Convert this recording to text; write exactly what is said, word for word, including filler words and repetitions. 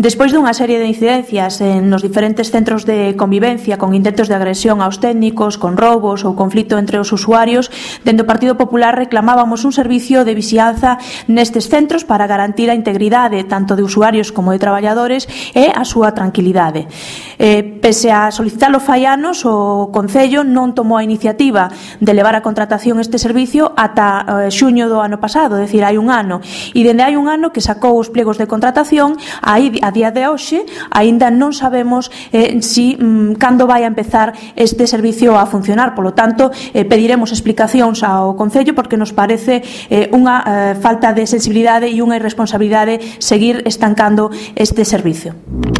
Despois dunha serie de incidencias en nos diferentes centros de convivencia con intentos de agresión aos técnicos, con roubos ou conflito entre os usuarios, dende o Partido Popular reclamábamos un servicio de vixianza nestes centros para garantir a integridade tanto de usuarios como de traballadores e a súa tranquilidade. Eh, pese a solicitalo fai anos, o Concello non tomou a iniciativa de levar a contratación este servicio ata eh, xuño do ano pasado, é dicir, hai un ano, e dende hai un ano que sacou os pliegos de contratación. Aí a día de hoxe aínda non sabemos eh, si mm, cando vai a empezar este servicio a funcionar. Polo tanto, eh, pediremos explicacións ao Concello porque nos parece eh, unha eh, falta de sensibilidade e unha irresponsabilidade seguir estancando este servicio.